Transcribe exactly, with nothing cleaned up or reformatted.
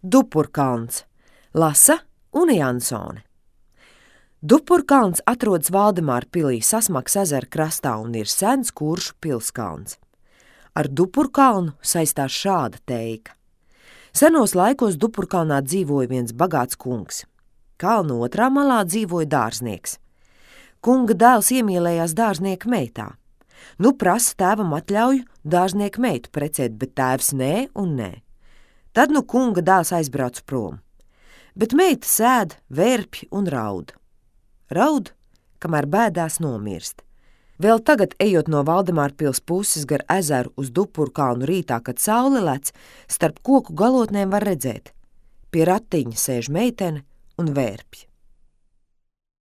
Dupurkalns. Lasa Une Jansone. Dupurkalns atrodas Valdemāra pilī Sasmakas ezera krastā un ir sens Kuršu pilskalns. Ar Dupurkalnu saistās šāda teika. Senos laikos Dupurkalnā dzīvoja viens bagāts kungs. Kalna otrā malā dzīvoja dārznieks. Kunga dēls iemīlējās dārznieka meitā. Nu prasa tēvam atļauju dārznieka meitu precēt, bet tēvs nē un nē. Tad nu kunga dēls aizbrauc prom. Bet meita sēd, vērpj un raud. Raud, kamēr bēdās nomirst. Vēl tagad, ejot no Valdemāra pils puses gar ezeru uz Dupurkalnu rītā, kad saule lec, starp koku galotnēm var redzēt. Pie ratiņa sēž meitene un vērpj.